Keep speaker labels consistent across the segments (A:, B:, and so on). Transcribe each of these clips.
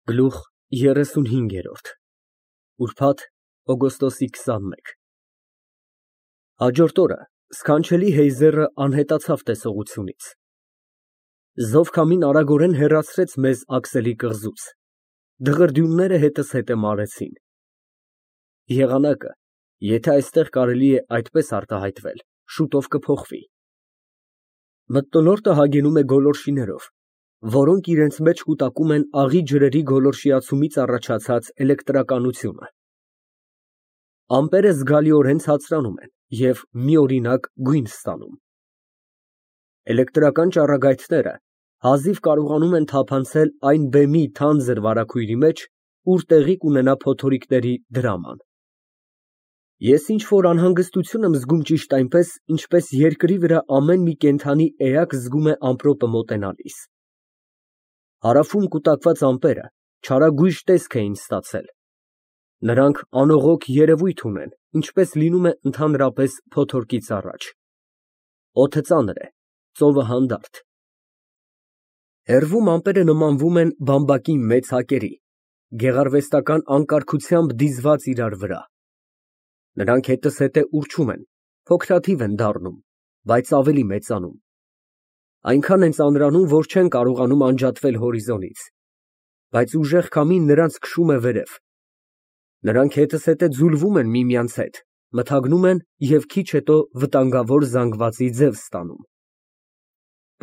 A: Գլուխ 35 ուրբաթ օգոստոսի 21 Հաջորդ օրը սքանչելի Հեյզերը անհետացավ տեսողությունից։ Զովքամին արագորեն հեռացրեց մեզ Աքսելի կղզուց, դղրդյունները հետզհետե մարեցին։ Եղանակը, եթե այստեղ կարելի է այդպես արտահայտվել, շուտով կփոխվի։ Մթնոլորտը հագենում է գոլորշիներով, որոնք իրենց մեջ կուտակում են աղի ջրերի գոլորշիացումից առաջացած էլեկտրականությունը։ Ամպերը զգալիորեն ցածրանում են և միօրինակ գույն ստանում։ Էլեկտրական ճառագայթները հազիվ կարողանում են թափանցել այն բեմի թանձր վարագույրի մեջ, ուր տեղի կունենա փոթորիկների դրաման։ Ես ինչ֊որ անհանգստություն եմ զգում ճիշտ այնպես, ինչպես երկրի վրա ամեն մի կենդանի էակ զգում է ամպրոպը մոտենալիս։ Հարավում կուտակված ամպերը չարագույժ տեսք էին ստացել։ Նրանք անողոք երևույթ ունեն, ինչպես լինում է ընդհանրապես փոթորկից առաջ։ Օդը ծանր է, ծովը հանդարտ։ Հեռվում ամպերը նմանվում են բամբակի մեծ հակերի, գեղարվեստական անկարգությամբ դիզված իրար վրա։ Նրանք հետզհետե ուռչում են, փոքրաթիվ են դառնում, բայց ավելի մեծանում։ Այնքան են ծանրանում, որ չեն կարողանում անջատվել հորիզոնից, բայց ուժեղ քամին նրանց քշում է վերև։ Նրանք հետզհետե ձուլվում են միմյանց հետ, մթագնում են և քիչ հետո վտանգավոր զանգվածի ձև ստանում։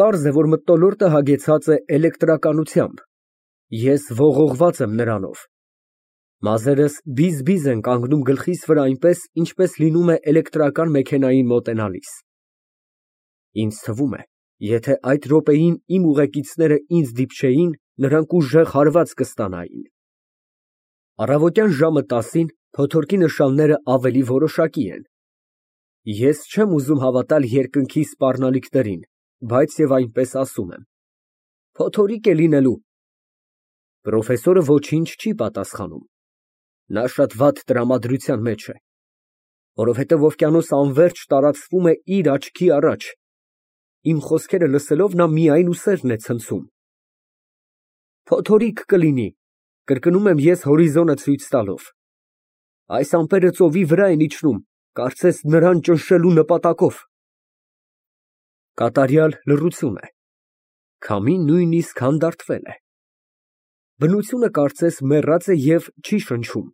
A: Պարզ է, որ մթնոլորտը հագեցած է էլեկտրականությամբ։ Ես ողողված եմ նրանով։ Մազերս բիզ-բիզ են կանգնում գլխիս վրա այնպես, ինչպես լինում է էլեկտրական մեքենային մոտենալիս։ Ինձ թվում է, եթե այդ րոպեին իմ ուղեկիցները ինձ դիպչեին, նրանք ուժեղ հարված կստանային։ Առավոտյան ժամը 10-ին փոթորկի նշանները ավելի որոշակի են։ Ես չեմ ուզում հավատալ երկնքի սպառնալիքներին, բայց և այնպես ասում եմ։ Փոթորիկ է լինելու։ Պրոֆեսորը ոչինչ չի պատասխանում։ Նա շատ վատ տրամադրության մեջ է, որովհետև օվկիանոս անվերջ տարածվում է իր աչքի առաջ։ Իմ խոսքերը լսելով նա միայն ուսերն է ցնցում։ Փոթորիկ կլինի, կրկնում եմ ես հորիզոնը ցույց տալով։ Այս ամպերը ծովի վրա են իջնում, կարծես նրան ճնշելու նպատակով։ Կատարյալ լռություն է։ Քամին նույնիսկ հանդարտվել է։ Բնությունը կարծես մեռած է և չի շնչում։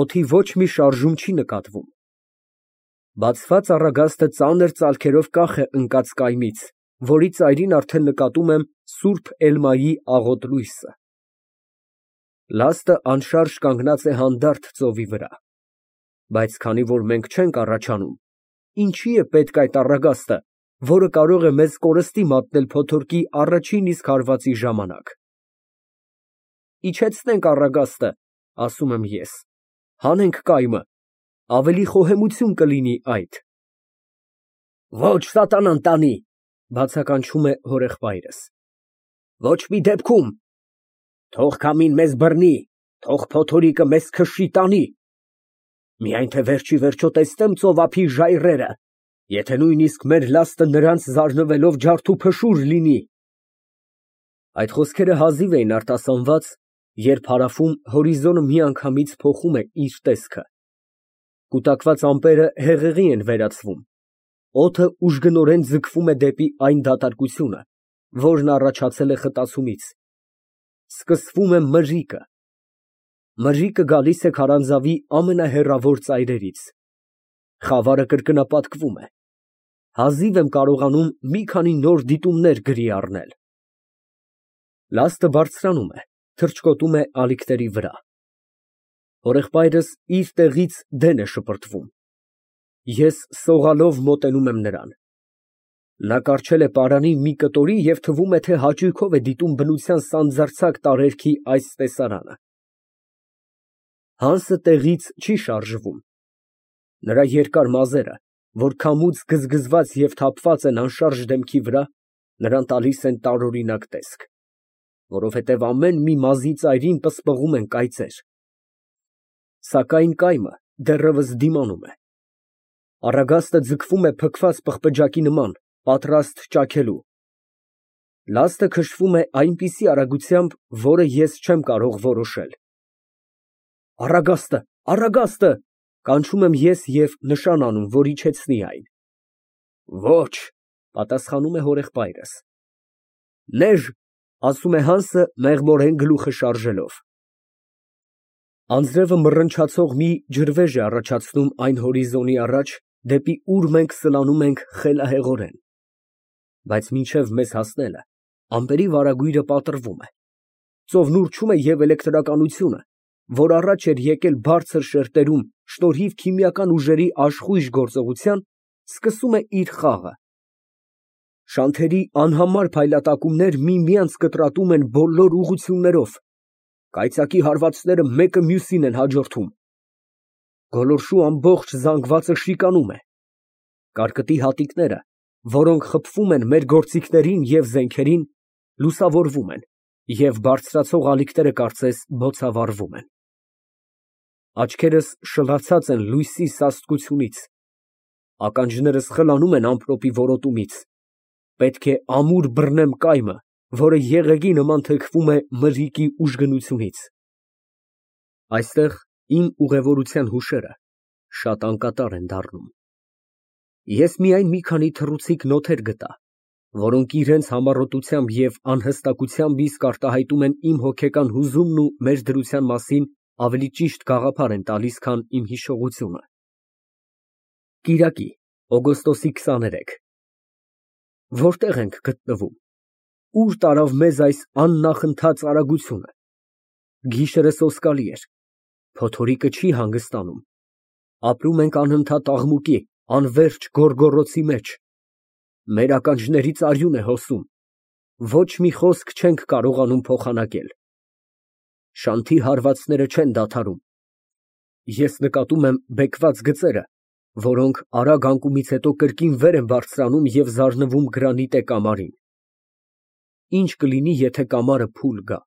A: Օդի ոչ մի շարժում չի նկատվում։ Բացված առագաստը ծանր ծալքերով կախ է ընկած կայմից, որի ծայրին արդեն նկատում եմ սուրբ Էլմայի աղոտ լույսը։ Լաստը անշարժ կանգնած է հանդարտ ծովի վրա։ Բայց քանի որ մենք չենք առաջանում, ինչի է պետք այդ առագաստը, որը կարող է մեզ կորստի մատնել փոթորկի առաջին իսկ հարվածի ժամանակ։ Իջեցնենք առագաստը, ասում եմ ես, հանենք կայմը, ավելի խոհեմություն կլինի այդ։ Ոչ սատանան տանի, բացականչում է հորեղբայրս։ Ոչ մի դեպքում։ Թող քամին մեզ բռնի, թող փոթորիկը մեզ քշի տանի։ Միայն թե վերջի վերջո տեսնեմ ծովափի ժայռերը, եթե նույնիսկ մեր լաստը նրանց զարնվելով ջարդուփշուր լինի։ Այդ խոսքերը հազիվ էին արտասանված, երբ հարավում հորիզոնը միանգամից փոխում է իր տեսքը։ Կուտակված ամպերը հեղեղի են վերածվում։ Օդը ուժգնորեն ձգվում է դեպի այն դատարկությունը, որն առաջացել է խտացումից։ Սկսվում է մրրիկը։ Մրրիկը գալիս է քարանձավի ամենահեռավոր ծայրերից։ Խավարը կրկնապատկվում է։ Հազիվ եմ կարողանում մի քանի նոր դիտումներ գրի առնել։ Լաստը բարձրանում է, թռչկոտում է ալիքների վրա։ Հորեղբայրս իր տեղից դեն է շպրտվում։ Ես սողալով մոտենում եմ նրան։ Նա կառչել է պարանի մի կտորի և թվում է, թե հաճույքով է դիտում բնության սանձարձակ տարերքի այս տեսարանը։ Հանսը տեղից չի շարժվում։ Նրա երկար մազերը, որ քամուց գզգզված և թափված են անշարժ դեմքի վրա, նրան տալիս են տարօրինակ տեսք, որովհետև ամեն մի մազի ծայրին պսպղում են կայծեր։ Սակայն կայմը դեռևս դիմանում է։ Առագաստը ձգվում է փքված պղպջակի նման, պատրաստ ճաքելու։ Լաստը քշվում է այնպիսի արագությամբ, որը ես չեմ կարող որոշել։ Առագաստը, առագաստը, կանչում եմ ես և նշան անում, որ իջեցնի այն։ Ոչ, պատասխանում է հորեղբայրս։ Նեժ, ասում է Հանսը մեղմորեն գլուխը շարժելով։ Անձրևը մռնչացող մի ջրվեժ է առաջացնում այն հորիզոնի առաջ, դեպի ուր մենք սլանում ենք խելահեղորեն։ Բայց մինչև մեզ հասնելը, ամպերի վարագույրը պատռվում է։ Ծովն ուռչում է և էլեկտրականությունը, որ առաջ էր եկել բարձր շերտերում շնորհիվ քիմիական ուժերի աշխույժ գործողության, սկսում է իր խաղը։ Շանթերի անհամար փայլատակումներ միմյանց կտրատում են բոլոր ուղղություններով, կայծակի հարվածները մեկը մյուսին են հաջորդում։ Գոլորշու ամբողջ զանգվածը շիկանում է։ Կարկտի հատիկները, որոնք խփվում են մեր գործիքներին և զենքերին, լուսավորվում են, և բարձրացող ալիքները կարծես բոցավառվում են։ Աչքերս շլացած են լույսի սաստկությունից, ականջներս խլանում են ամպրոպի որոտումից, պետք է ամուր բռնեմ կայմը, որը եղեգի նման թեքվում է մրրիկի ուժգնությունից։ Այստեղ իմ ուղևորության հուշերը շատ անկատար են դառնում։ Ես միայն մի քանի թռուցիկ նոթեր գտա, որոնք իրենց համառոտությամբ և անհստակությամբ իսկ արտահայտում են իմ հոգեկան հուզումն ու մեր դրության մասին ավելի ճիշտ գաղափար են տալիս, քան իմ հիշողությունը։ Կիրակի, օգոստոսի 23 Որտե՞ղ ենք գտնվում։ Ո՞ւր տարավ մեզ այս աննախընթաց արագությունը։ Գիշերը սոսկալի էր, փոթորիկը չի հանգստանում։ Ապրում ենք անընդհատ աղմուկի, անվերջ գոռգոռոցի մեջ։ Մեր ականջներից արյուն է հոսում, ոչ մի խոսք չենք կարողանում փոխանակել։ Շանթի հարվածները չեն դադարում։ Ես նկատում եմ բեկված գծերը, որոնք արագ անկումից հետո կրկին վեր են բարձրանում և զարնվում գրանիտե կամարին։ Ինչ կլինի, եթե կամարը փուլ գա։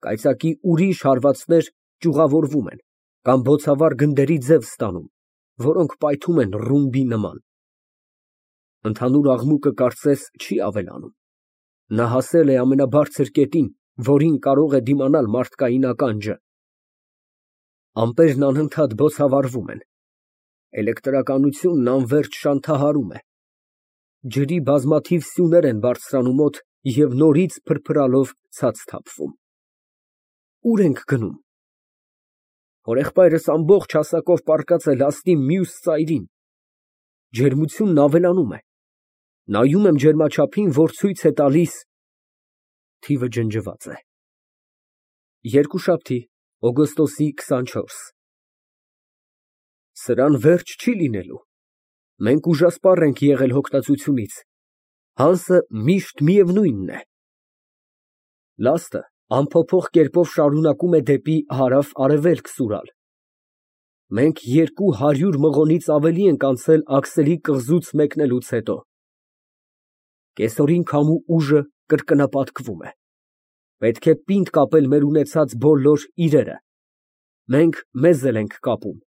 A: Կայծակի ուրիշ հարվածներ ճյուղավորվում են կամ բոցավառ գնդերի ձև ստանում, որոնք պայթում են ռումբի նման։ Ընդհանուր աղմուկը կարծես չի ավելանում։ Նա հասել է ամենաբարձր կետին, որին կարող է դիմանալ մարդկային ականջը։ Ամպերն անընդհատ բոցավառվում են։ Էլեկտրականությունն անվերջ շանթահարում է։ Ջրի բազմաթիվ սյուներ են բարձրանում օդ և նորից փրփրալով ցած թափվում։ Ո՞ւր ենք գնում։ Հորեղբայրս ամբողջ հասակով պառկած է լաստի մյուս ծայրին։ Ջերմությունն ավելանում է։ Նայում եմ ջերմաչափին, որ ցույց է տալիս… Թիվը ջնջված է։ Երկուշաբթի, օգոստոսի 24 Սրան վերջ չի լինելու։ Մենք ուժասպառ ենք եղել հոգնածությունից։ Հանսը միշտ միևնույնն է։ Լաստը անփոփոխ կերպով շարունակում է դեպի հարավ֊արևելք սուրալ։ Մենք 200 մղոնից ավելի ենք անցել աքսելի կղզուց մեկնելուց հետո։ Կեսօրին քամու ուժը կրկնապատկվում է։ Պետք է պինդ կապել մեր ունեցած բոլոր իրերը։ Մենք մեզ էլ ենք կապում։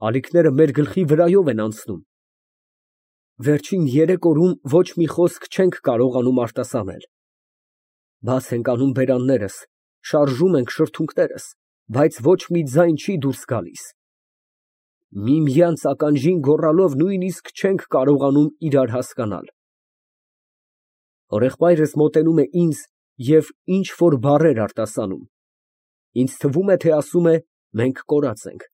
A: Ալիքները մեր գլխի վրայով են անցնում։ Վերջին 3 օրում ոչ մի խոսք չենք կարողանում արտասանել։ Բաց ենք անում բերաններս, շարժում ենք շրթունքներս, բայց ոչ մի ձայն չի դուրս գալիս։ Միմյանց ականջին գոռալով նույնիսկ չենք կարողանում իրար հասկանալ։ Հորեղբայրս մոտենում է ինձ և ինչ֊որ բառեր արտասանում։ Ինձ թվում է, թե ասում է. «Մենք կորած ենք»։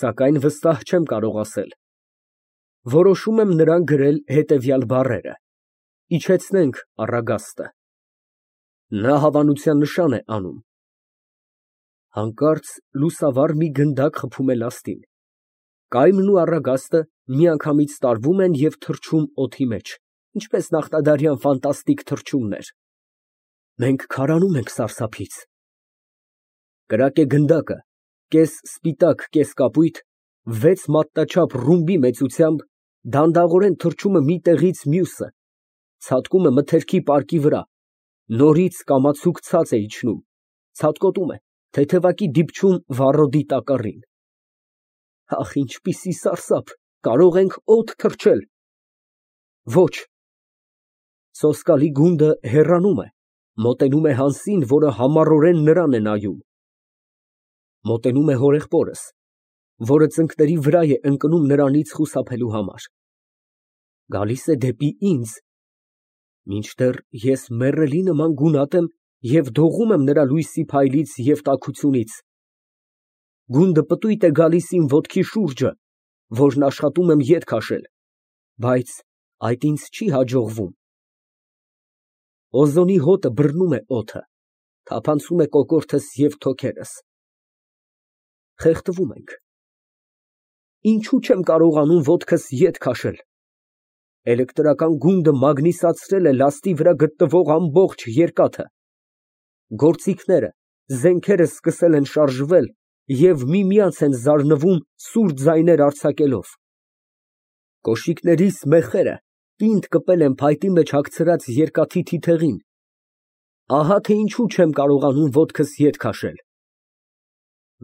A: Սակայն վստահ չեմ կարող ասել։ Որոշում եմ նրան գրել հետևյալ բառերը. «Իջեցնենք առագաստը»։ Նա հավանության նշան է անում։ Հանկարծ լուսավառ մի գնդակ խփում է լաստին։ Կայմն ու առագաստը միանգամից տարվում են և թռչում օդի մեջ, ինչպես նախնադարյան ֆանտաստիկ թռչուններ։ Մենք քարանում ենք սարսափից։ Կրակ է գնդակը, կես սպիտակ, կես կապույտ, 6 մատնաչափ ռումբի մեծությամբ, դանդաղորեն թռչում է մի տեղից մյուսը, ցատկում է մթերքի պարկի վրա, նորից կամացուկ ցած է իջնում, ցատկոտում է, թեթևակի դիպչում վառոդի տակառին։ Ախ, ինչպիսի սարսափ, կարող ենք օդ թռչել։ Ոչ։ Սոսկալի գունդը հեռանում է, մոտենում է Հանսին, որը համառորեն նրան է նայում։ Մոտենում է հորեղբորս, որը ծնկների վրա է ընկնում նրանից խուսափելու համար։ Գալիս է դեպի ինձ, մինչդեռ ես մեռելի նման գունատ եմ և դողում եմ նրա լույսի փայլից և տաքությունից։ Գունդը պտույտ է գալիս իմ ոտքի շուրջը, որն աշխատում եմ ետ քաշել, բայց այդ ինձ չի հաջողվում։ Օզոնի հոտը բռնում է օդը, թափանցում է կոկորդս և թոքերս։ Խեղդվում ենք։ Ինչու չեմ կարողանում ոտքս ետ քաշել։ Էլեկտրական գունդը մագնիսացրել է լաստի վրա գտնվող ամբողջ երկաթը։ Գործիքները, զենքերը սկսել են շարժվել և միմյանց են զարնվում սուր ձայներ արձակելով։ Կոշիկներիս մեխերը պինդ կպել են փայտի մեջ հագցրած երկաթի թիթեղին։ Ահա թե ինչու չեմ կարողանում ոտքս ետ քաշել։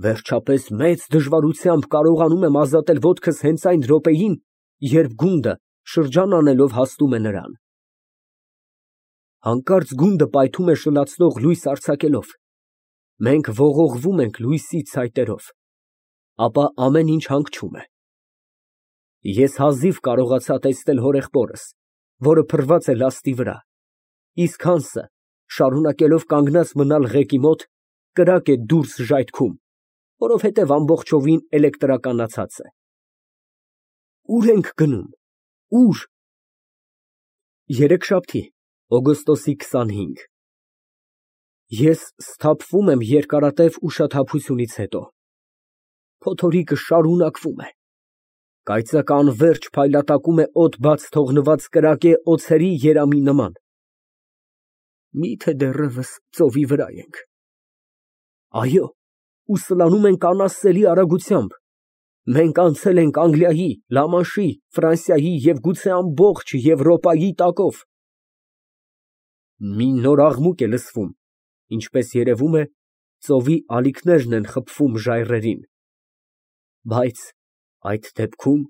A: Վերջապես մեծ դժվարությամբ կարողանում եմ ազատել ոտքս հենց այն րոպեին, երբ գունդը շրջան անելով հասնում է նրան։ Հանկարծ գունդը պայթում է շլացնող լույս արձակելով։ Մենք ողողվում ենք լույսի ցայտերով, ապա ամեն ինչ հանգչում է։ Ես հազիվ կարողացա տեսնել հորեղբորս, որը փռված է լաստի վրա, իսկ Հանսը, շարունակելով կանգնած մնալ ղեկի մոտ, կրակ է դուրս ժայթքում, որովհետև ամբողջովին էլեկտրականացած է։ Ո՞ւր ենք գնում, ուր։ Երեքշաբթի, օգոստոսի 25։ Ես սթափվում եմ երկարատև ուշաթափությունից հետո։ Փոթորիկը շարունակվում է։ Կայծակը անվերջ փայլատակում է օդ բաց թողնված կրակե օձերի երամի նման։ Մի՞թե դեռևս ծովի վրա ենք։ Այո, ու սլանում ենք անասելի արագությամբ։ Մենք անցել ենք Անգլիայի, Լամանշի, Ֆրանսիայի և գուցե ամբողջ Եվրոպայի տակով։ Մի նոր աղմուկ է լսվում, ինչպես երևում է, ծովի ալիքներն են խփվում ժայռերին։ Բայց այդ դեպքում